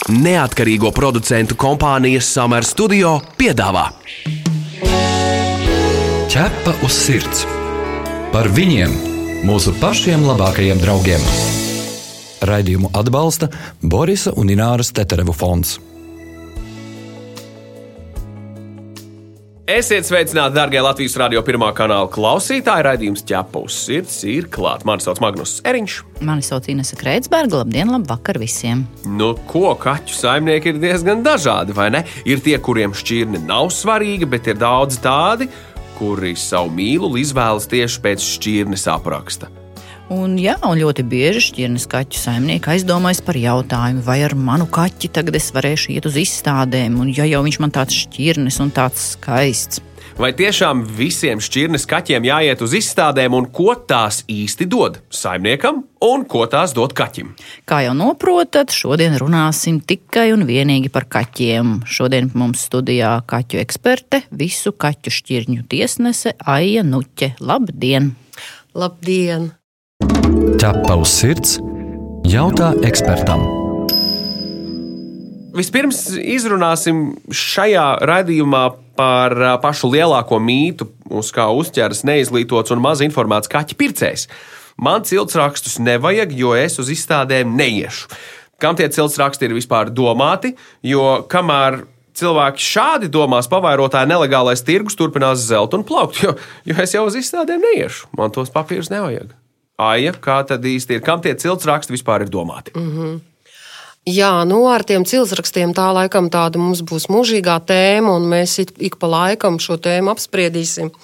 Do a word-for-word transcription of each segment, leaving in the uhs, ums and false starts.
Neatkarīgo producentu kompānijas Summer Studio piedāvā Ķepa uz sirds. Par viņiem, mūsu pašiem labākajiem draugiem. Raidījumu atbalsta Borisa un Ināras Teterevu fonds. Esiet sveicināti, darbie Latvijas radio pirmā kanāla klausītāji. Raidījums Ķepa uz sirds ir klāt. Mani sauc Magnus Eriņš. Mani sauc Inese Kreitsberga. Labdien, labvakar visiem. Nu, ko kaķu saimnieki ir diezgan dažādi, vai ne? Ir tie, kuriem šķirne nav svarīga, bet ir daudzi tādi, kuri savu mīluli izvēlas tieši pēc šķirnes apraksta. Un, jā, un ļoti bieži šķirnes kaķu saimnieki aizdomājas par jautājumu, vai ar manu kaķi tagad es varēšu iet uz izstādēm, un ja jau viņš man tāds šķirnes un tāds skaists. Vai tiešām visiem šķirnes kaķiem jāiet uz izstādēm, un ko tās īsti dod saimniekam, un ko tās dod kaķim? Kā jau noprotat, šodien runāsim tikai un vienīgi par kaķiem. Šodien mums studijā kaķu eksperte, visu kaķu šķirņu tiesnese Aija Nuķe. Labdien! Labdien! Ķepa uz sirds. Jautā ekspertam. Vispirms izrunāsim šajā raidījumā par pašu lielāko mītu, uz kā uzķeras neizglītots un maz informēts kaķu pircējs. Man ciltsrakstus nevajag, jo es uz izstādēm neiešu. Kam tie ciltsraksti ir vispār domāti? Jo kamēr cilvēki šādi domās, pavairotāji nelegālais tirgus turpinās zelt un plaukt, jo, jo es jau uz izstādēm neiešu. Man tos papīrus nevajag. Aija, kā tad īsti ir? Kam tie ciltsraksti vispār ir domāti? Mm-hmm. Jā, nu ar tiem ciltsrakstiem tā laikam tāda mums būs mūžīgā tēma, un mēs ik pa laikam šo tēmu apspriedīsim.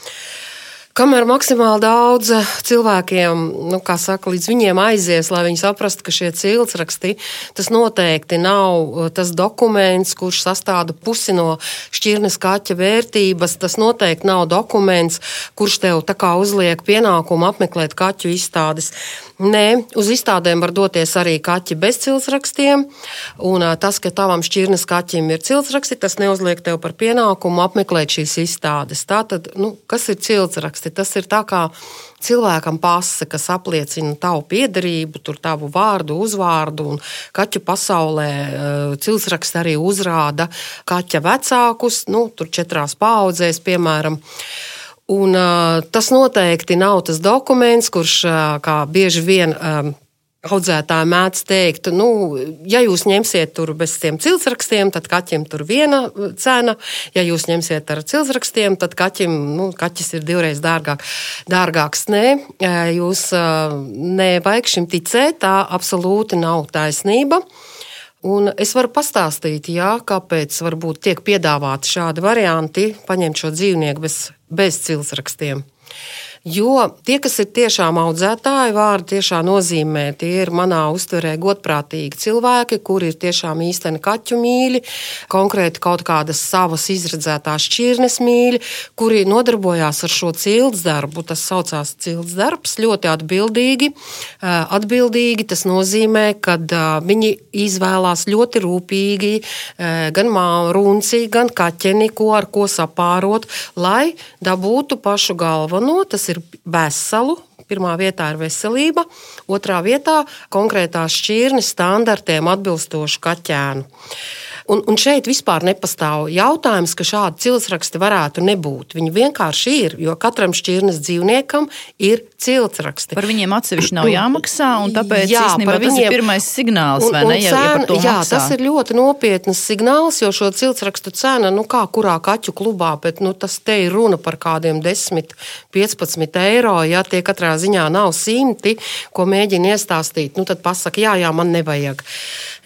Kamēr maksimāli daudz cilvēkiem, nu, kā saka, līdz viņiem aizies, lai viņi saprastu, ka šie ciltsraksti, tas noteikti nav tas dokuments, kurš sastāda pusi no šķirnes kaķa vērtības, tas noteikti nav dokuments, kurš tev tā kā uzliek pienākumu apmeklēt kaķu izstādes. Nē, uz izstādēm var doties arī kaķi bez ciltsrakstiem, un tas, ka tavam šķirnes kaķim ir ciltsraksti, tas neuzliek tev par pienākumu apmeklēt šīs izstādes. Tātad, nu, kas ir ciltsraksti? Tas ir tā kā cilvēkam pase, kas apliecina tavu piederību, tur tavu vārdu, uzvārdu, un kaķu pasaulē ciltsraksti arī uzrāda kaķa vecākus, nu, tur četrās paaudzēs, piemēram. Un uh, tas noteikti nav tas dokuments, kurš, uh, kā bieži vien um, audzētāji mēdz teikt, nu, ja jūs ņemsiet tur bez tiem ciltsrakstiem, tad kaķim tur viena cena, ja jūs ņemsiet ar ciltsrakstiem, tad kaķim, nu, kaķis ir divreiz dārgāk, dārgāks. Nē, jūs uh, nevajag šim ticēt, tā absolūti nav taisnība. Un es varu pastāstīt, jā, kāpēc varbūt tiek piedāvāti šādi varianti paņemt šo dzīvnieku bez, bez ciltsrakstiem. Jo tie, kas ir tiešām audzētāji, vārdi tiešām nozīmē, tie ir manā uztverē godprātīgi cilvēki, kuri ir tiešām īsteni kaķu mīļi, konkrēti kaut kādas savas izredzētās šķirnes mīļi, kuri nodarbojās ar šo cilts darbu. Tas saucās cilts darbs, ļoti atbildīgi. Atbildīgi tas nozīmē, ka viņi izvēlās ļoti rūpīgi gan runci, gan kaķeni, ko ar ko sapārot, lai dabūtu pašu galveno. Tas ir veselu. Pirmā vietā ir veselība, otrā vietā konkrētās šķirnes standartiem atbilstošu kaķēnu. Un, un šeit vispār nepastāv jautājums, ka šādi ciltsraksti varētu nebūt. Viņi vienkārši ir, jo katram šķirnes dzīvniekam ir ciltsraksti. Par viņiem atsevišķi nav jāmaksā, un tāpēc jā, īstenībā tas viņiem, ir pirmais signāls, un, vai ne, ja, ja par to jā, maksā. Tas ir ļoti nopietnas signāls, jo šo ciltsrakstu cena, nu kā kurā kaķu klubā, bet nu, tas te ir runa par kādiem desmit, piecpadsmit eiro, ja tie katrā ziņā nav simti, ko mēģina iestāstīt, nu tad pasaka, jā, jā, man nevajag.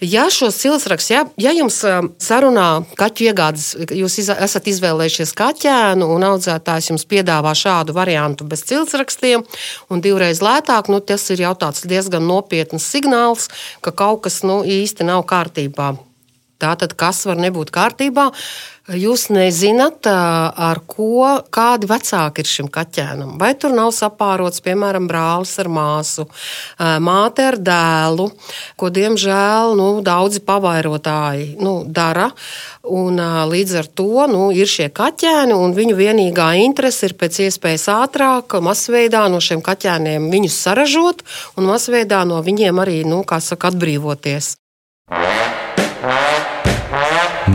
Ja šos ciltsrakstus, ja, ja jums sarunā kaķu iegādes, jūs iz, esat izvēlējušies kaķēnu un audzētājs jums piedāvā šādu variantu bez ciltsrakstiem un divreiz lētāk, nu tas ir jau tāds diezgan nopietns signāls, ka kaut kas nu, īsti nav kārtībā. Tātad, kas var nebūt kārtībā? Jūs nezināt, ar ko, kādi vecāki ir šim kaķēnam. Vai tur nav sapārots, piemēram, brālis ar māsu, māte ar dēlu, ko, diemžēl, nu, daudzi pavairotāji nu, dara. Un, līdz ar to nu, ir šie kaķēni, un viņu vienīgā interese ir pēc iespējas ātrāk, masveidā no šiem kaķēniem viņus saražot un masveidā no viņiem arī, nu, kā saka, atbrīvoties.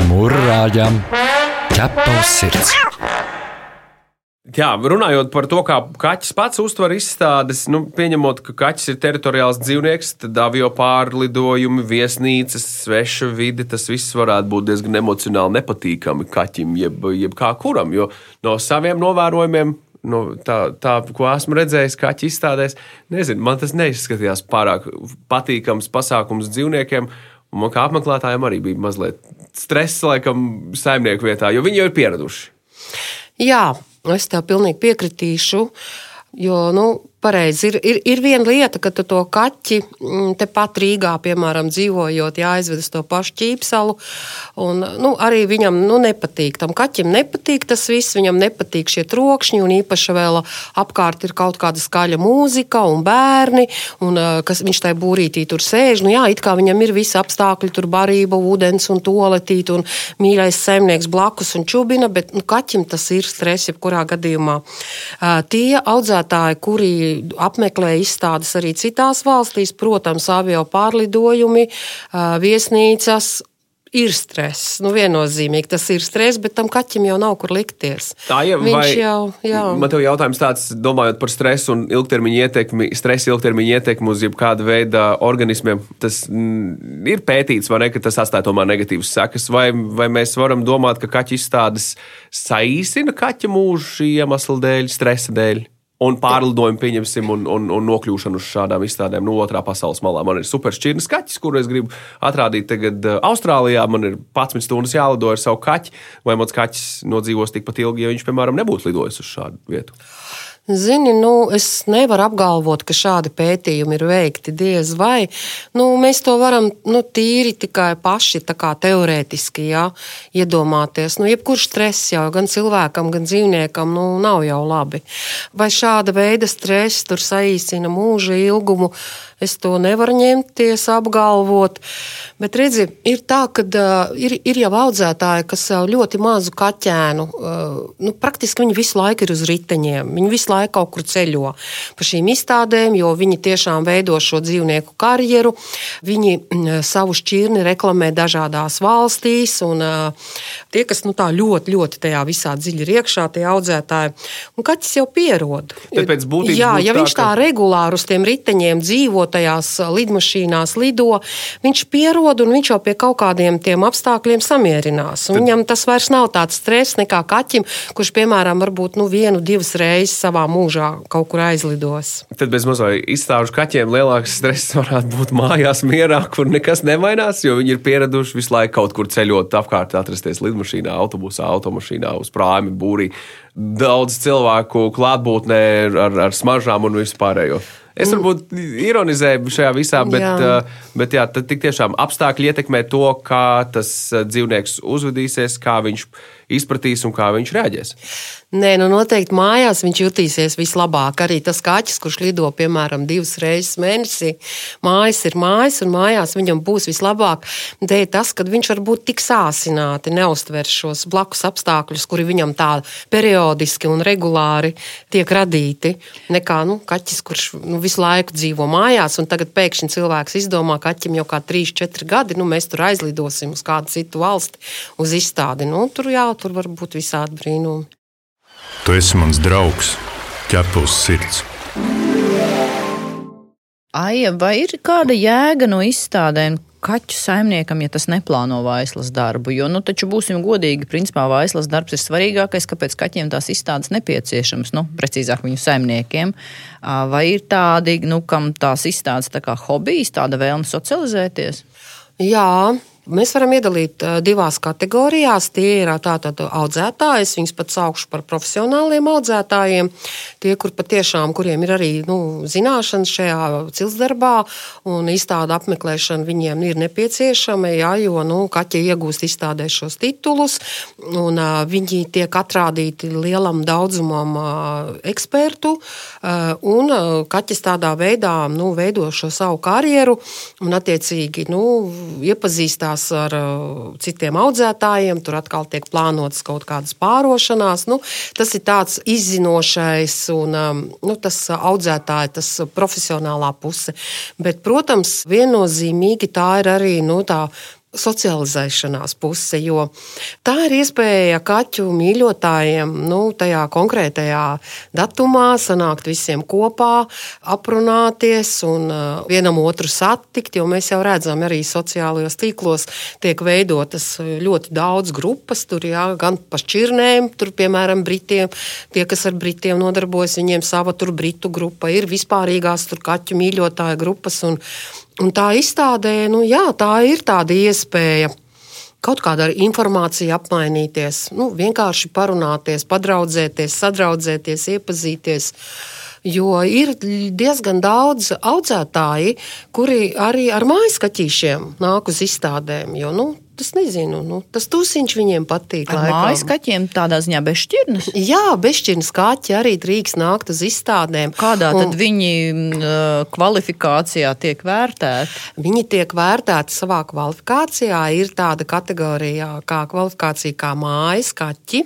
Murrājam ķepa uz sirds. Jā, runājot par to, kā kaķis pats uztver izstādes, nu, pieņemot, ka kaķis ir teritoriāls dzīvnieks, tad avio pārlidojumi, viesnīcas, sveša vide, tas viss varētu būt diezgan emocionāli nepatīkami kaķim, jeb, jeb kā kuram, jo no saviem novērojumiem, no tā, tā, ko esmu redzējis kaķi izstādēs, nezinu, man tas neizskatījās pārāk patīkams pasākums dzīvniekiem, un man kā apmeklētājiem arī bija mazliet stresa, laikam, saimnieku vietā, jo viņi jau ir pieraduši. Jā, es tev pilnīgi piekritīšu, jo, nu, pareizi, ir, ir, ir viena lieta, ka tu to kaķi tepat Rīgā, piemēram, dzīvojot, jāizved uz to pašu Ķīpsalu, un, nu, arī viņam, nu, nepatīk. Tam kaķim nepatīk tas viss, viņam nepatīk šie trokšņi, un īpaši vēl apkārt ir kaut kāda skaļa mūzika un bērni, un kas viņš tai būrītī tur sēž, nu jā, it kā viņam ir visi apstākļi, tur barība, ūdens un toaletīt, un mīļais saimnieks blakus un čubina, bet, nu, kaķim tas ir stress, jebkurā gadījumā. Tie audzētāji, kuri apmeklē izstādes arī citās valstīs, protams, avio pārlidojumi, viesnīcas, ir stress. Nu, viennozīmīgi tas ir stress, bet tam kaķim jau nav kur likties. Tā jau Viņš vai, jau, jā. Man tev jautājums tāds, domājot par stresu un ilgtermiņa ietekmi, stresa ilgtermiņa ietekmi uz jebkāda veida organismiem, tas mm, ir pētīts, vai ne, ka tas atstāja tomēr negatīvas sekas, vai, vai mēs varam domāt, ka kaķu izstādes saīsina kaķa mūžu šī iemesla dēļ, stresa dēļ? Un pārlidojumu pieņemsim un, un, un nokļūšanu uz šādām izstādēm no otrā pasaules malā. Man ir superšķirnes kaķis, kuru es gribu atrādīt tagad Austrālijā. Man ir padsmit stundas jālido ar savu kaķi, vai mans kaķis nodzīvos tikpat ilgi, ja viņš, piemēram, nebūtu lidojis uz šādu vietu. Zini, nu, es nevaru apgalvot, ka šādi pētījumi ir veikti diez vai. Nu, mēs to varam nu, tīri tikai paši tā kā teorētiski jā, iedomāties. Nu, jebkurš stress jau gan cilvēkam, gan dzīvniekam nu, nav jau labi. Vai šāda veida stress tur saīsina mūža ilgumu? Es to nevaru ņemties, apgalvot. Bet, redzi, ir tā, ka uh, ir, ir jau audzētāji, kas uh, ļoti mazu kaķēnu, uh, nu, praktiski viņi visu laiku ir uz riteņiem. Viņi visu laiku kaut kur ceļo pa šīm izstādēm, jo viņi tiešām veido šo dzīvnieku karjeru. Viņi uh, savu šķirni reklamē dažādās valstīs, un uh, tie, kas nu, tā ļoti, ļoti tajā visā dziļi ir iekšā, tie audzētāji, un kaķis jau pierod. Tāpēc būtības Jā, būtu ja tā, viņš tā ka... regulāri uz tiem riteņiem dzīvo, tajās lidmašīnās lido, viņš pierod un viņš jau pie kaut kādiem tiem apstākļiem samierinās. Un Tad... viņam tas vairs nav tāds stress nekā kaķim, kurš, piemēram, varbūt nu, vienu, divas reizes savā mūžā kaut kur aizlidos. Tad bez mazai izstāžu kaķiem lielāks stress varētu būt mājās mierā, kur nekas nemainās, jo viņi ir pieraduši visu laiku kaut kur ceļot apkārt, atrasties lidmašīnā, autobusā, automašīnā, uz prāmi, būrī. Daudz cilvēku klātbūtnē ar, ar smaržām un vispārējo. Es varbūt ironizēju šajā visā, bet jā, bet jā tad tik tiešām apstākļi ietekmē to, kā tas dzīvnieks uzvedīsies, kā viņš izpratīs un kā viņš reaģēs. Nē, nu noteikti mājās viņš jutīsies vislabāk. Arī tas kaķis, kurš lido, piemēram, divas reizes mēnesī, mājas ir mājas, un mājās viņam būs vislabāk. Dēļ tas, ka viņš var būt tik sāsināti, neuztver šos blakus apstākļus, kuri viņam tā periodiski un regulāri tiek radīti, nekā nu, kaķis, kurš nu, visu laiku dzīvo mājās, un tagad pēkšņi cilvēks izdomā, ka kaķim jau kā trīs, četri gadi, nu mēs tur aizlidosim uz kādu citu valsti, uz izstādi. Nu, tur jā, tur var būt visādi brīnumi. Tu esi mans draugs, ķepa uz sirds. Aija, vai ir kāda jēga no izstādēm kaķu saimniekam, ja tas neplāno vaislas darbu? Jo, nu, taču būsim godīgi, principā vaislas darbs ir svarīgākais, kāpēc kaķiem tās izstādes nepieciešams, nu, precīzāk viņu saimniekiem. Vai ir tādi, nu, kam tās izstādes tā kā hobijs, tāda vēlme socializēties? Jā. Mēs varam iedalīt divās kategorijās. Tie ir tātad audzētāji, es viņus pat saukšu par profesionāliem audzētājiem. Tie, kur patiešām, kuriem ir arī nu, zināšanas šajā ciltsdarbā un izstāda apmeklēšana viņiem ir nepieciešama, jā, jo nu, kaķi iegūst izstādē šos titulus un uh, viņi tiek atrādīti lielam daudzumam uh, ekspertu uh, un uh, kaķis tādā veidā nu, veido šo savu karjeru un attiecīgi nu, iepazīstās ar uh, citiem audzētājiem, tur atkal tiek plānotas kaut kādas pārošanās. Nu, tas ir tāds izzinošais un um, nu, tas audzētāja, tas profesionālā puse. Bet, protams, viennozīmīgi tā ir arī nu, tā socializēšanās puse, jo tā ir iespēja kaķu mīļotājiem, nu, tajā konkrētajā datumā sanākt visiem kopā, aprunāties un vienam otru satikt, jo mēs jau redzam arī sociālajos tīklos tiek veidotas ļoti daudz grupas, tur jā, gan pa šķirnēm, tur piemēram Britiem, tie, kas ar Britiem nodarbojas, viņiem sava tur Britu grupa, ir vispārīgās tur kaķu mīļotāju grupas un Un tā izstādē, nu jā, tā ir tāda iespēja kaut kāda informācija apmainīties, nu, vienkārši parunāties, padraudzēties, sadraudzēties, iepazīties. Jo ir diezgan daudz audzētāji, kuri arī ar mājaskaķīšiem nāk uz izstādēm, jo, nu, tas nezinu, nu, tas tūsiņš viņiem patīk. Ar mājaskaķiem tādā ziņā bezšķirnes? Jā, bezšķirnes kaķi arī drīkst nākt uz izstādēm. Kādā tad un, viņi uh, kvalifikācijā tiek vērtēti? Viņi tiek vērtēti savā kvalifikācijā. Ir tāda kategorija kā kvalifikācija kā mājas kaķi.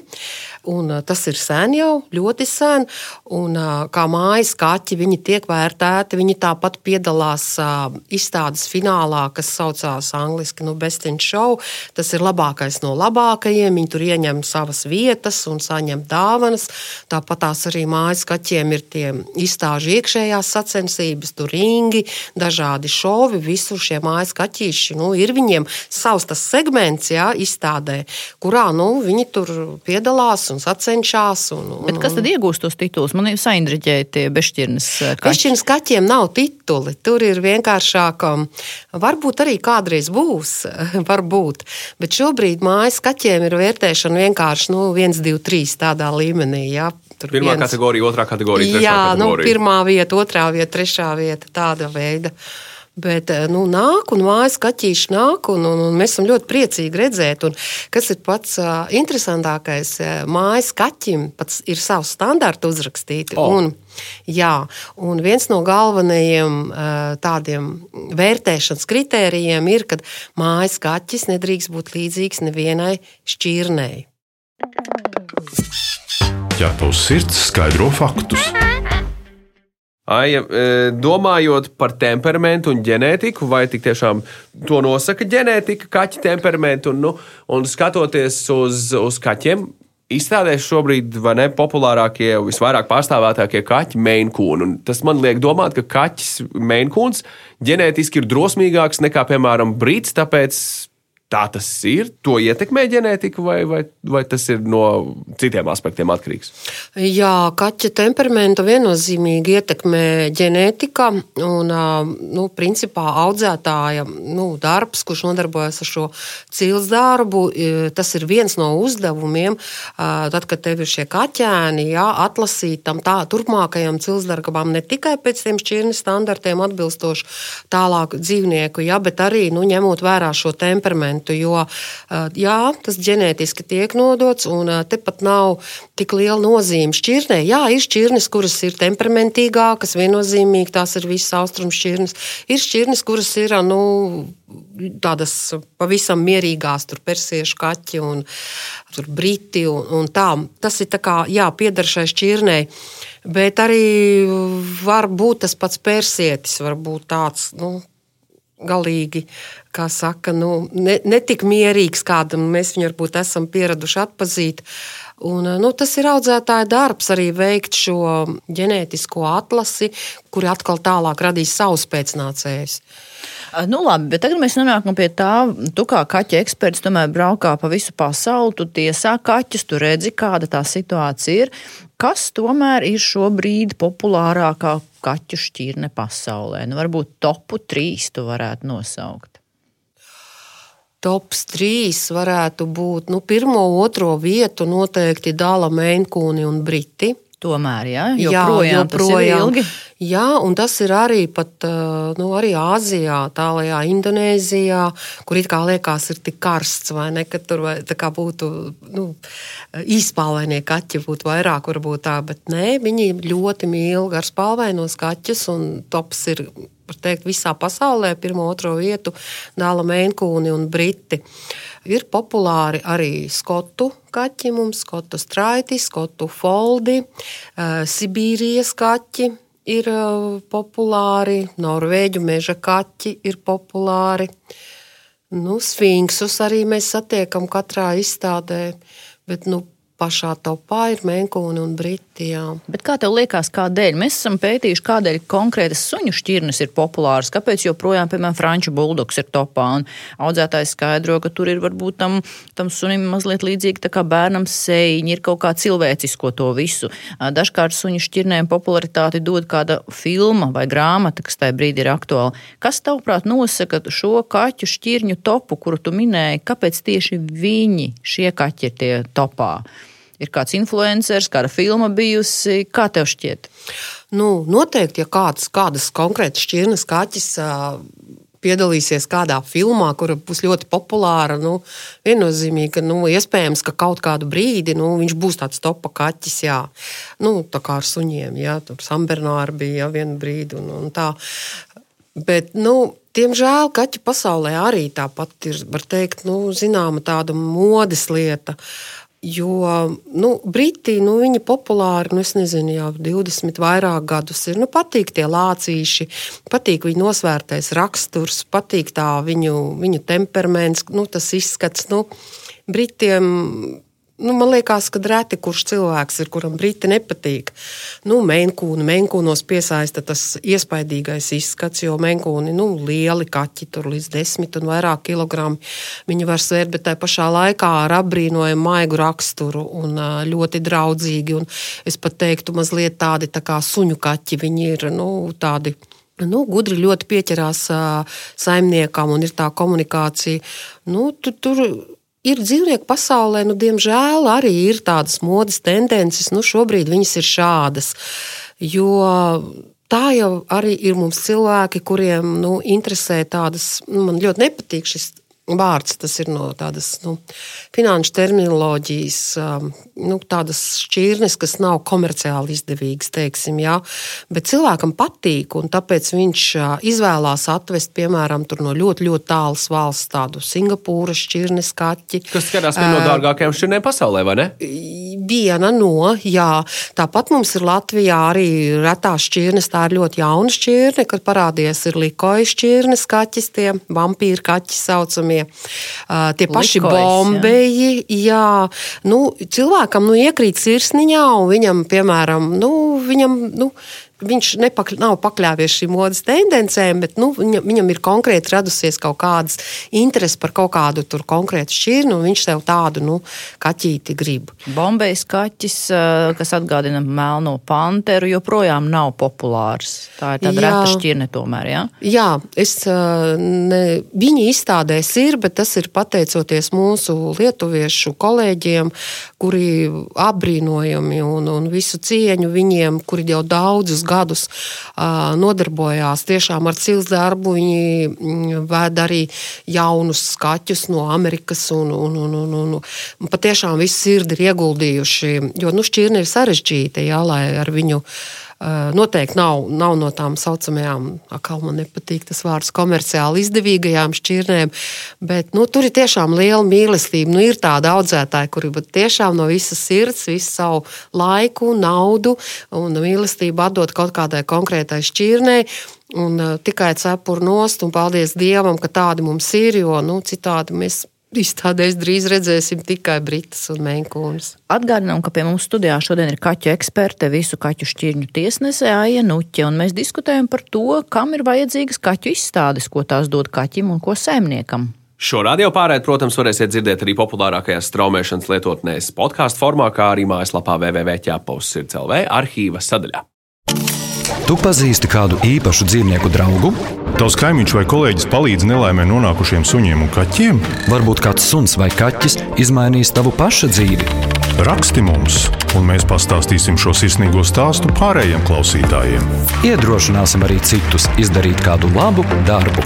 Un tas ir sen jau, ļoti sen. Un kā mājas kaķi viņi tiek vērtēti. Viņi tāpat piedalās uh, izstādes finālā, kas saucās angliski, nu, Best in Show. Tas ir labākais no labākajiem. Viņi tur ieņem savas vietas un saņem dāvanas. Tāpat tās arī mājas kaķiem ir tie izstāžu iekšējās sacensības, tur ringi, dažādi šovi, visur šie mājas kaķīši. Nu, ir viņiem savs tas segments, jā, izstādē, kurā, nu, viņi tur piedalās un sacenšās. Un, un, Bet kas tad iegūst tos titulus? Man ir saindriģēja tie bešķirnes kaķi. Bešķirnes kaķiem nav tituli. Tur ir vienkāršāk, varbūt arī kādreiz būs, varbūt. Bet šobrīd mājas kaķiem ir vērtēšana vienkārši nu, viens, divi, trīs tādā līmenī. Jā. Tur Pirmā viens... kategorija, otrā kategorija, trešā jā, kategorija. Jā, nu, pirmā vieta, otrā vieta, trešā vieta, tāda veida. Bet nu, nāk un mājas kaķīši nāk, un, un, un mēs esam ļoti priecīgi redzēt. Un, kas ir pats uh, interesantākais, mājas kaķim pats ir savs standarti uzrakstīti. Oh. Un, jā, un viens no galvenajiem uh, tādiem vērtēšanas kritērijiem ir, kad mājas kaķis nedrīkst būt līdzīgs nevienai šķirnei. Ja tavs sirds skaidro faktus. Aija, domājot par temperamentu un ģenētiku, vai tik tiešām to nosaka ģenētika, kaķa temperamentu, un, nu, un skatoties uz, uz kaķiem, izstādēs šobrīd vai ne populārākie, visvairāk pārstāvētākie kaķi Maine Coon. Un tas man liek domāt, ka kaķis Maine Coons ģenētiski ir drosmīgāks nekā, piemēram, brits, tāpēc tā tas ir, to ietekmē ģenētika, vai, vai, vai tas ir no citiem aspektiem atkarīgs? Jā, kaķa temperamentu viennozīmīgi ietekmē ģenētika un, nu, principā audzētāja nu, darbs, kurš nodarbojas ar šo cils darbu, tas ir viens no uzdevumiem, tad, kad tev ir šie kaķēni, jā, atlasīt tam tā, turpmākajam cils darbam ne tikai pēc tiem šķirnes standartiem atbilstoši tālāk dzīvnieku, jā, bet arī, nu, ņemot vērā šo temperamentu. Jo jā, tas ģenētiski tiek nodots, un tepat nav tik liela nozīme šķirnē. Jā, ir šķirnes, kuras ir temperamentīgākas, viennozīmīgi tās ir visas austrumu šķirnes. Ir šķirnes, kuras ir nu, tādas pavisam mierīgās, tur persiešu kaķi un tur briti un, un tā. Tas ir tā kā, jā, pieder šai šķirnei. Bet arī var būt tas pats persietis, var būt tāds, nu, galīgi, kā saka, nu, ne, ne tik mierīgs, kādam mēs viņu varbūt esam pieraduši atpazīt. Un, nu, tas ir audzētāja darbs arī veikt šo ģenētisko atlasi, kuri atkal tālāk radīs savus pēcnācējus. Nu labi, bet tagad mēs nonākam pie tā, tu kā kaķa eksperts tomēr braukā pa visu pasauli, tu tiesā kaķus, tu redzi, kāda tā situācija ir. Kas tomēr ir šobrīd populārākā kaķu šķirne pasaulē? Nu, varbūt topu trīs tu varētu nosaukt. Tops trīs varētu būt, nu, pirmo, otro vietu noteikti dala Maine Cooni un briti. Tomēr, ja? Joprojām, jā, joprojām tas ir ilgi. Jā, un tas ir arī pat, nu, arī Āzijā, tālajā Indonēzijā, kur it kā liekas ir tik karsts, vai ne, ka tur vai, tā kā būtu, nu, īspalvainie kaķi būtu vairāk, varbūt tā, bet nē, viņi ļoti mīl garspalvainos kaķus, un tops ir, var teikt, visā pasaulē, pirmo, otro vietu dala Maine Cooni un briti. Ir populāri arī skotu kaķi mums, skotu straiti, skotu foldi, Sibīrijas kaķi ir populāri, norvēģu meža kaķi ir populāri. Nu, sfinksus arī mēs satiekam katrā izstādē, bet nu, pašā topā ir menkūni un briti. Jā. Bet kā tev liekas, kādēļ? Mēs esam pētījuši, kādēļ konkrētas suņu šķirnes ir populāras, kāpēc joprojām, piemēram, franču buldogs ir topā, un audzētājs skaidro, ka tur ir varbūt tam, tam sunim mazliet līdzīgi tā kā bērnam seiņi, ir kaut kā cilvēcisko to visu. Dažkārt suņu šķirnēm popularitāti dod kāda filma vai grāmata, kas tajā brīdī ir aktuāla. Kas tavuprāt nosaka šo kaķu šķirņu topu, kuru tu minēji, kāpēc tieši viņi, šie kaķi ir tie topā? Ir kāds influenceris, kāda filma bijusi, kā tev šķiet? Nu, noteikti, ja kāds, kādas konkrētas šķirnes kaķis uh, piedalīsies kādā filmā, kura būs ļoti populāra, nu, viennozīmīgi, ka, nu, iespējams, ka kaut kādu brīdi, nu, viņš būs tāds topa kaķis, jā. Nu, tā kā ar suņiem, jā, tur Sambernāri bija, jā, vienu brīdi un, un tā. Bet, nu, diemžēl kaķu pasaulē arī tāpat ir, var teikt, nu, zināma tāda modes lieta. Jo, nu, briti, nu, viņi populāri, nu, es nezinu, jau divdesmit vairāk gadus ir, nu, patīk tie lācīši, patīk viņu nosvērtais raksturs, patīk tā viņu, viņu temperaments, nu, tas izskats, nu, britiem, nu, man liekas, ka reti kurš cilvēks ir, kuram briti nepatīk. Nu, menkūni, menkūnos piesaista tas iespaidīgais izskats, jo menkūni, nu, lieli kaķi, tur līdz desmit un vairāk kilogramu viņi var svērt, bet tai pašā laikā ar apbrīnojumu maigu raksturu un ļoti draudzīgi, un es pat teiktu mazliet tādi tā kā suņu kaķi, viņi ir, nu, tādi, nu, gudri ļoti pieķerās saimniekam un ir tā komunikācija. Nu, tur, tur ir dzīvnieku pasaulē, nu, diemžēl arī ir tādas modes tendences, nu, šobrīd viņas ir šādas, jo tā jau arī ir mums cilvēki, kuriem, nu, interesē tādas, nu, man ļoti nepatīk šis vārds, tas ir no tādas, nu, finanšu terminoloģijas, nu, tādas šķirnes, kas nav komerciāli izdevīgas, teiksim, jā, bet cilvēkam patīk, un tāpēc viņš izvēlās atvest, piemēram, tur no ļoti, ļoti tālas valsts tādu Singapūras šķirnes kaķi. Kas skatās viena no dārgākajām šķirnēm pasaulē, vai ne? Viena no, jā. Tāpat mums ir Latvijā arī retās šķirnes, tā ir ļoti jauna šķirne, kad parādījies ir likoja šķirnes kaķis, tie vampīri kaķi saucamie. Uh, tie paši Likojas, bombeji, jā. jā, nu, cilvēkam, nu, iekrīt sirsniņā, un viņam, piemēram, nu, viņam, nu, viņš nepakļ, nav pakļāvies šīm modes tendencēm, bet, nu, viņam, viņam ir konkrēti radusies kaut kādas interesi par kaut kādu tur konkrētu šķirnu, un viņš tev tādu, nu, kaķīti grib. Bombejas kaķis, kas atgādina melno panteru, joprojām nav populārs. Tā ir tāda jā. Reta šķirne tomēr, jā? Jā, es, ne, viņi izstādēs ir, bet tas ir pateicoties mūsu lietuviešu kolēģiem, kuri apbrīnojami un, un visu cieņu viņiem, kuri jau daudzus gadus uh, nodarbojās tiešām ar cilts darbu. Viņi vēd arī jaunus skaķus no Amerikas un, un, un, un, un, un patiešām visu sirdi ir ieguldījuši, jo, nu, šķirne ir sarežģīta, jā, lai ar viņu uh, noteikti nav, nav no tām saucamajām, akal man nepatīk tas vārds, komerciāli izdevīgajām šķirnēm, bet, nu, tur ir tiešām liela mīlestība. Nu, ir tāda audzētāja, kuri tiešām no visas sirds, visu savu laiku, naudu un mīlestību atdot kaut kādai konkrētai šķirnei, un uh, tikai cepuru nost, un paldies Dievam, ka tādi mums ir, jo, nu, citādi mēs izstādēs drīz redzēsim tikai britas un menkūnas. Atgādinām, ka pie mums studijā šodien ir kaķu eksperte, visu kaķu šķirņu tiesnese Aija Nuķe, un mēs diskutējam par to, kam ir vajadzīgas kaķu izstādes, ko tās dod kaķim un ko saimniekam. Šo radio pārēdi, protams, varēsiet dzirdēt arī populārākajās straumēšanas lietotnēs podkāstu formā, kā arī mājaslapā w w w punkt ķepavs sirds punkt l v arhīva sadaļā. Tu pazīsti kādu īpašu dzīvnieku draugu? Tavs kaimiņš vai kolēģis palīdz nelaimē nonākušiem suņiem un kaķiem? Varbūt kāds suns vai kaķis izmainīs tavu paša dzīvi. Raksti mums, un mēs pastāstīsim šo sirsnīgo stāstu pārējiem klausītājiem. Iedrošināsim arī citus izdarīt kādu labu darbu.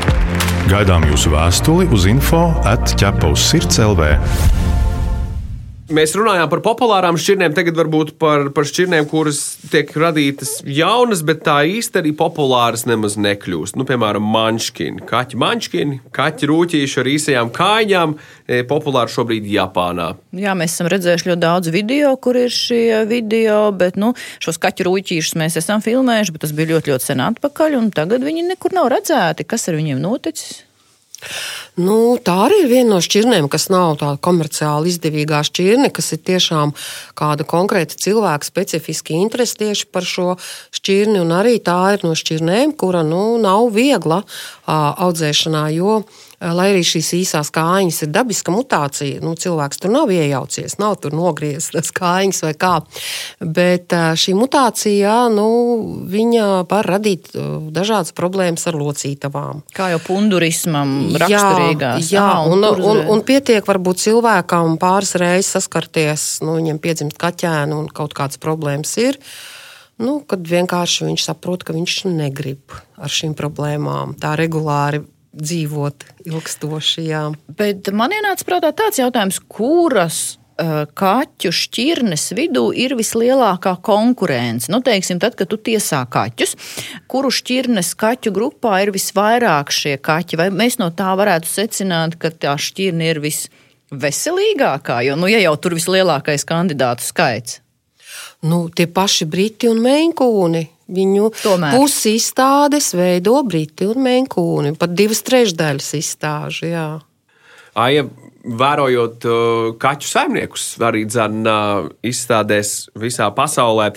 Gaidām jūsu vēstuli uz info at ķepavs sirds punkt l v. Mēs runājām par populārām šķirnēm, tagad varbūt par, par šķirnēm, kuras tiek radītas jaunas, bet tā īsti arī populāras nemaz nekļūst. Nu, piemēram, manškini, kaķi manškini, kaķi rūķīši ar īsajām kājām, populāri šobrīd Japānā. Jā, mēs esam redzējuši ļoti daudz video, kur ir šie video, bet, nu, šos kaķu rūķīšus mēs esam filmējuši, bet tas bija ļoti, ļoti sen atpakaļ, un tagad viņi nekur nav redzēti. Kas ar viņiem noticis? Nu, tā arī ir viena no šķirnēm, kas nav tāda komerciāli izdevīgā šķirne, kas ir tiešām kāda konkrēta cilvēka specifiski interesi tieši par šo šķirni, un arī tā ir no šķirnēm, kura nu, nav viegla audzēšanā, jo lai arī šīs īsās kājiņas ir dabiska mutācija, nu, cilvēks tur nav iejaucies, nav tur nogriezts tas kājiņas vai kā, bet šī mutācija, nu, viņa var radīt dažādas problēmas ar locītavām. Kā jau pundurismam raksturīgās. Jā, Aha, un, un, un, un, un pietiek varbūt cilvēkam pāris reizes saskarties, nu, viņam piedzimst kaķēni un kaut kādas problēmas ir, nu, kad vienkārši viņš saprot, ka viņš negrib ar šīm problēmām tā regulāri dzīvot ilgstoši, jā. Bet man ienāca prātā tāds jautājums, kuras uh, kaķu šķirnes vidū ir vislielākā konkurence? Nu, teiksim, tad, kad tu tiesā kaķus, kuru šķirnes kaķu grupā ir visvairāk šie kaķi? Vai mēs no tā varētu secināt, ka tā šķirne ir visveselīgākā? Jo, nu, ja jau tur vislielākais kandidātu skaits. Nu, tie paši briti un meinkūni. Viņu Tomēr. pusi izstādes veido briti un meinkūni, pat divas trešdaļas izstāžu, jā. Aija, vērojot uh, kaķu saimniekus, arī dzen uh, izstādēs visā pasaulē,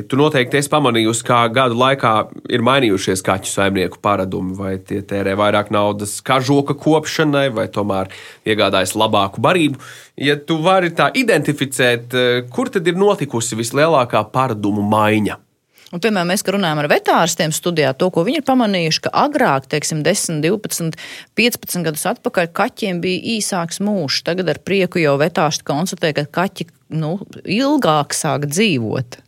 tu noteikti esi pamanījusi, kā gadu laikā ir mainījušies kaķu saimnieku paradumi, vai tie tērē vairāk naudas kažoka kopšanai, vai tomēr iegādājas labāku barību. Ja tu vari tā identificēt, kur tad ir notikusi vislielākā paradumu maiņa? Un, piemēram, mēs, kad runājam ar vetārstiem studijā, to, ko viņi ir pamanījuši, ka agrāk, teiksim, desmit, divpadsmit, piecpadsmit gadus atpakaļ kaķiem bija īsāks mūžs. Tagad ar prieku jau vetārsti konstatē, ka kaķi, nu, ilgāk sāk dzīvot.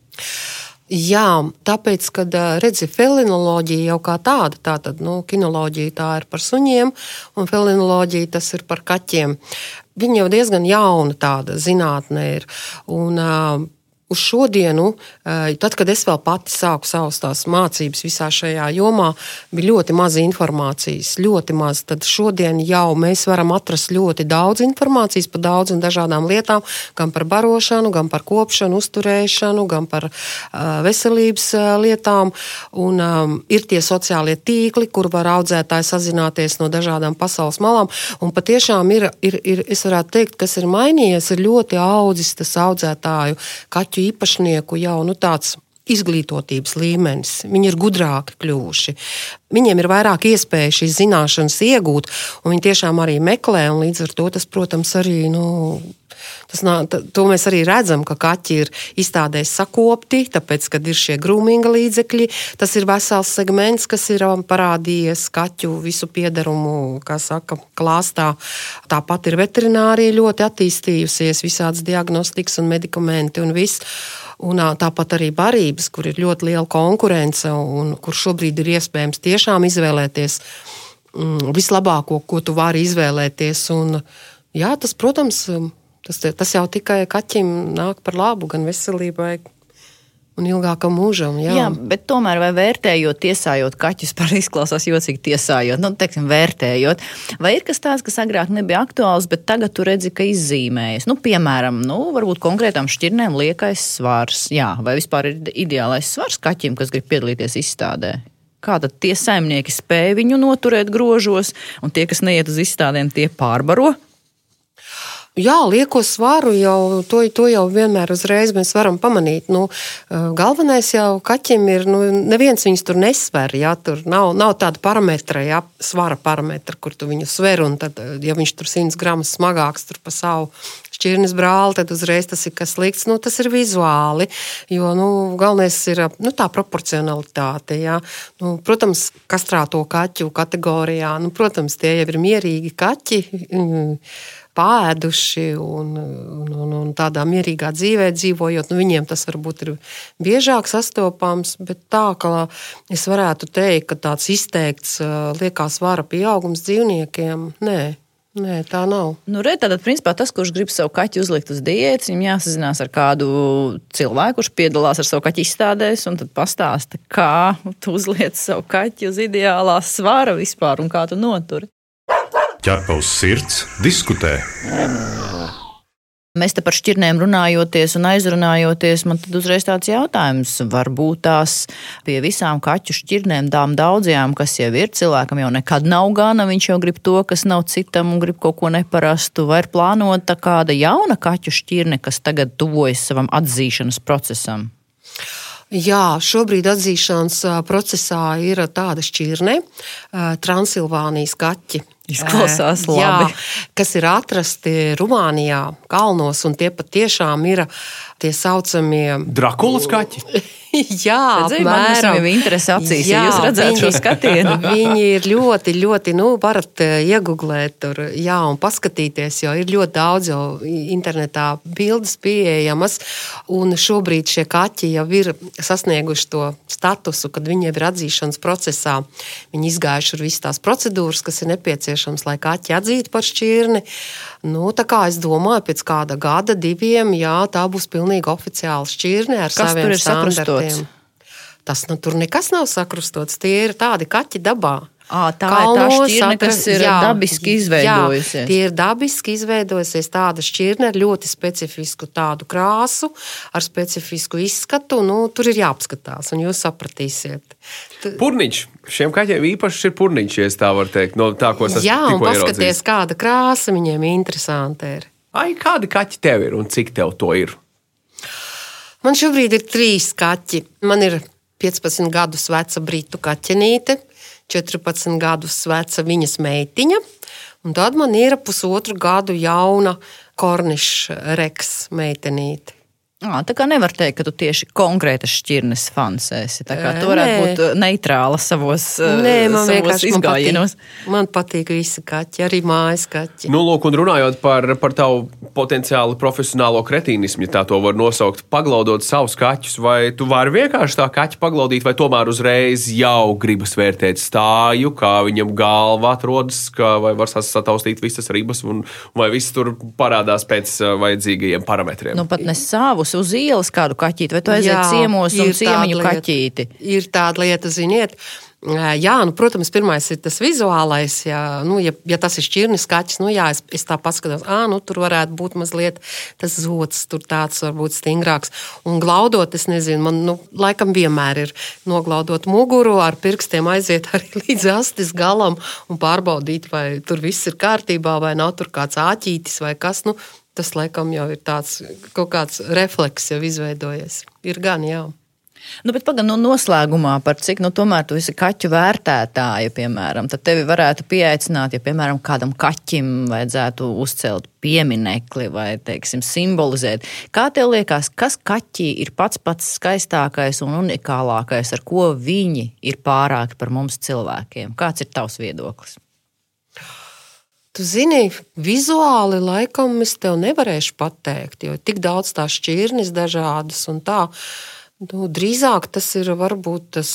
Jā, tāpēc, kad redzi felinoloģija jau kā tāda, tātad, nu, kinoloģija tā ir par suņiem, un felinoloģija tas ir par kaķiem. Viņa jau diezgan jauna tāda zinātne ir, un uz šodienu, tad, kad es vēl pati sāku savas tās mācības visā šajā jomā, bija ļoti maz informācijas, ļoti maz. Tad šodien jau mēs varam atrast ļoti daudz informācijas par daudz un dažādām lietām, gan par barošanu, gan par kopšanu, uzturēšanu, gan par uh, veselības uh, lietām. Un um, ir tie sociālie tīkli, kur var audzētāji sazināties no dažādām pasaules malām. Un patiešām ir, ir, ir es varētu teikt, kas ir mainījies, ir ļoti audzis tas audzētāju kaķu īpašnieku jau nu, tāds izglītotības līmenis. Viņi ir gudrāki kļuvuši. Viņiem ir vairāk iespēja šīs zināšanas iegūt, un viņi tiešām arī meklē, un līdz ar to tas, protams, arī, nu, tas, to mēs arī redzam, ka kaķi ir izstādēs sakopti, tāpēc, kad ir šie grūminga līdzekļi, tas ir vesels segments, kas ir parādījies kaķu visu piedarumu, kā saka, klāstā. Tāpat ir veterinārija ļoti attīstījusies, visādas diagnostikas un medikamenti un viss. Un tāpat arī barības, kur ir ļoti liela konkurence un kur šobrīd ir iespējams tiešām izvēlēties mm, vislabāko, ko tu vari izvēlēties. Un, jā, tas, protams, tas, tas jau tikai kaķim nāk par labu gan veselībai un ilgākam mūžam. Jā. jā, bet tomēr vai vērtējot, tiesājot kaķus, par izklausās jocīgi tiesājot, nu, teiksim, vērtējot, vai ir kas tāds, kas agrāk nebija aktuāls, bet tagad tu redzi, ka izzīmējas? Nu, piemēram, nu, varbūt konkrētām šķirnēm liekais svars, jā, vai vispār ir ideālais svars kaķim, kas grib piedalīties izstādē? Kā tad tie saimnieki spēj viņu noturēt grožos, un tie, kas neiet uz izstādēm, tie pārbaro? Jā, lieko svaru jau, to, to jau vienmēr uzreiz mēs varam pamanīt. Nu, galvenais jau kaķim ir, nu, neviens viņus tur nesver, jā, tur nav, nav tāda parametra, jā, svara parametra, kur tu viņu sver, un tad, ja viņš tur simts gramus smagāks tur pa savu šķirnes brāli, tad uzreiz tas ir kas slikts, nu, tas ir vizuāli, jo, nu, galvenais ir, nu, tā proporcionalitāte, jā. Nu, protams, kastrāto kaķu kategorijā, nu, protams, tie jau ir mierīgi kaķi, pāēduši un, un, un, un tādā mierīgā dzīvē dzīvojot, nu viņiem tas varbūt ir biežāk sastopams, bet tā, ka es varētu teikt, ka tāds izteikts liekā svara pieaugums dzīvniekiem, nē. Nē, tā nav. Nu, re, tātad, principā, tas, kurš grib savu kaķi uzlikt uz diētas, viņam jāsazinās ar kādu cilvēku, kurš piedalās ar savu kaķi izstādēs, un tad pastāsta, kā tu uzliec savu kaķi uz ideālā svara vispār un kā tu noturi. Ķerpa uz sirds, diskutē. Mēs te par šķirnēm runājoties un aizrunājoties, man tad uzreiz tāds jautājums, varbūt tās pie visām kaķu šķirnēm, tām daudzajām, kas jau ir, cilvēkam jau nekad nav gana, viņš jau grib to, kas nav citam un grib kaut ko neparastu, vai ir plānota kāda jauna kaķu šķirne, kas tagad tuvojas savam atzīšanas procesam? Jā, šobrīd atzīšanas procesā ir tāda šķirne, Transilvānijas kaķi. Izklausās labi. Jā, kas ir atrasti Rumānijā, kalnos, un tie patiešām ir tie saucamie Drakulas kaķi? Jā, apmēram. Man interesi acīs, jā, ja jūs redzētu šo skatienu. Viņi ir ļoti, ļoti, nu, varat iegooglēt tur, jā, un paskatīties, jo ir ļoti daudz jau internetā bildes pieejamas, un šobrīd šie kaķi jau ir sasnieguši to statusu, kad viņi jau ir atzīšanas procesā. Viņi izgājuši ar visu tās procedūras, kas ir nepieciešams, lai kaķi atzītu par šķirni. Nu, tā kā es domāju, pēc kāda gada, diviem, jā, tā būs pilnīgi oficiāla šķirne ar kas saviem standartiem. Tas nu, tur nekas nav sakrustots, tie ir tādi kaķi dabā. À, tā Kalnos, ir tā šķirne, kas ir jā, dabiski izveidojusies. Jā, tie ir dabiski izveidojusies tāda šķirne ar ļoti specifisku tādu krāsu, ar specifisku izskatu. Nu, tur ir jāapskatās, un jūs sapratīsiet. Purniņš. Šiem kaķiem īpaši ir purniņš, ja tā var teikt. No tā, ko es jā, un paskaties, ieraudzījis. Kāda krāsa viņiem interesanti ir. Ai, kādi kaķi tev ir un cik tev to ir? Man šobrīd ir trīs kaķi. Man ir piecpadsmit gadus veca britu kaķenīte, četrpadsmit gadus veca viņas meitiņa, un tad man ir pusotru gadu jauna korniša reks meitenīte. À, tā kā nevar teikt, ka tu tieši konkrētas šķirnes fans esi. Tā kā tu varētu Nē. būt neitrāla savos, Nē, man savos izgājienos. Man patīk, man patīk visi kaķi, arī mājas kaķi. Nu, lūk, un runājot par, par tavu potenciāli profesionālo kretīnismu, ja tā to var nosaukt, paglaudot savus kaķus, vai tu vari vienkārši tā kaķi paglaudīt, vai tomēr uzreiz jau gribas vērtēt stāju, kā viņam galva atrodas, kā, vai var sataustīt visas ribas, un vai viss tur parādās pēc vajadzīgajiem parametriem? Nu, pat ne savus uz ielas kādu kaķīti, vai tu aiziet ciemos un ciemiņu kaķīti? Ir tāda lieta, ziniet. Jā, nu, protams, pirmais ir tas vizuālais, jā, nu, ja, ja tas ir šķirnis kaķis, nu jā, es, es tā paskatos, ā, nu, tur varētu būt mazliet tas zods, tur tāds varbūt stingrāks. Un glaudot, es nezinu, man, nu, laikam vienmēr ir noglaudot muguru, ar pirkstiem aiziet arī līdz astes galam un pārbaudīt, vai tur viss ir kārtībā, vai nav tur kāds āķītis vai kas, nu, tas laikam jau ir tāds kaut kāds refleks jau izveidojies. Ir gan, jā. Nu, bet pagaid, nu, noslēgumā par cik, nu, tomēr tu esi kaķu vērtētāja, piemēram, tad tevi varētu pieaicināt, ja, piemēram, kādam kaķim vajadzētu uzcelt pieminekli vai, teiksim, simbolizēt. Kā tev liekas, kas kaķī ir pats pats skaistākais un unikālākais, ar ko viņi ir pārāki par mums cilvēkiem? Kāds ir tavs viedoklis? Tu zini, vizuāli laikam es tev nevarēšu pateikt, jo tik daudz tās šķirnes dažādas un tā. Nu, drīzāk tas ir varbūt tas,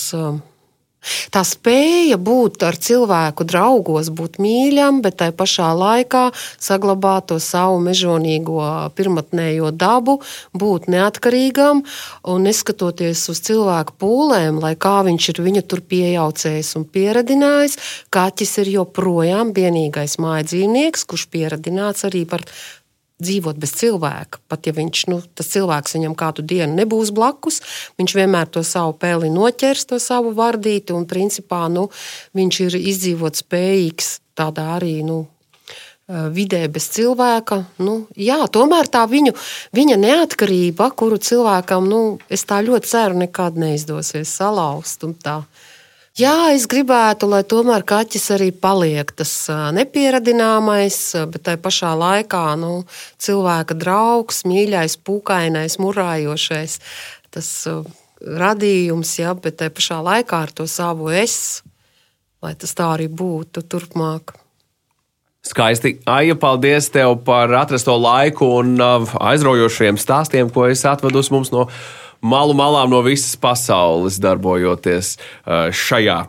tā spēja būt ar cilvēku draugos, būt mīļam, bet tai pašā laikā saglabāt to savu mežonīgo pirmatnējo dabu, būt neatkarīgam un neskatoties uz cilvēku pūlēm, lai kā viņš ir viņu tur pieejaucējis un pieradinājis, kaķis ir joprojām vienīgais mājdzīvnieks, kurš pieradināts arī par dzīvot bez cilvēka. Pat ja viņš, nu, tas cilvēks viņam kādu dienu nebūs blakus, viņš vienmēr to savu peli noķers, to savu vardīti, un principā, nu, viņš ir izdzīvot spējīgs tādā arī, nu, vidē bez cilvēka. Nu, jā, tomēr tā viņu, viņa neatkarība, kuru cilvēkam, nu, es tā ļoti ceru, nekad neizdosies salauzt un tā. Jā, es gribētu, lai tomēr kaķis arī paliek tas nepieradināmais, bet tai pašā laikā, nu, cilvēka draugs, mīļais, pūkainais, murājošais, tas radījums, jā, bet tai pašā laikā ar to savu es, lai tas tā arī būtu turpmāk. Skaisti. Aija, paldies tev par atrasto laiku un aizraujošiem stāstiem, ko esi atvedus mums no malu malām no visas pasaules, darbojoties šajā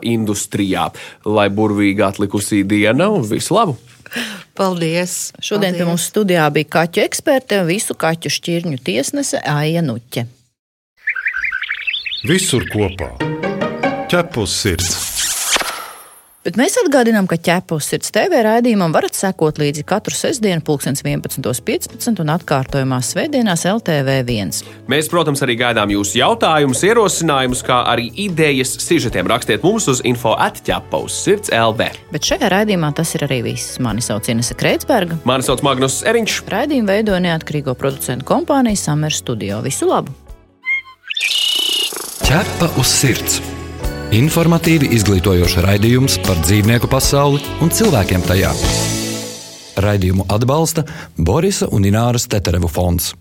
industrijā. Lai burvīgi atlikusī diena un visu labu! Paldies! Šodien Paldies. Pie mums studijā bija kaķu eksperte un visu kaķu šķirņu tiesnese Aija Nuķe. Visur kopā. Ķep uz sirds! Bet mēs atgādinām, ka ķepa uz sirds T V raidījumam varat sekot līdzi katru sestdienu pulkstens vienpadsmit piecpadsmit un atkārtojumās svētdienās L T V viens. Mēs, protams, arī gaidām jūsu jautājumus, ierosinājumus, kā arī idejas sižetiem. Rakstiet mums uz info at ķepa uz sirds L V. Bet šajā raidījumā tas ir arī viss. Mani sauc Inese Kreitsberga. Mani sauc Magnus Eriņš. Raidījumu veidoja neatkarīgo producentu kompānija Summer Studio. Visu labu! Ķepa uz sirds. Informatīvi izglītojoša raidījums par dzīvnieku pasauli un cilvēkiem tajā. Raidījumu atbalsta Borisa un Ināras Teterevu fonds.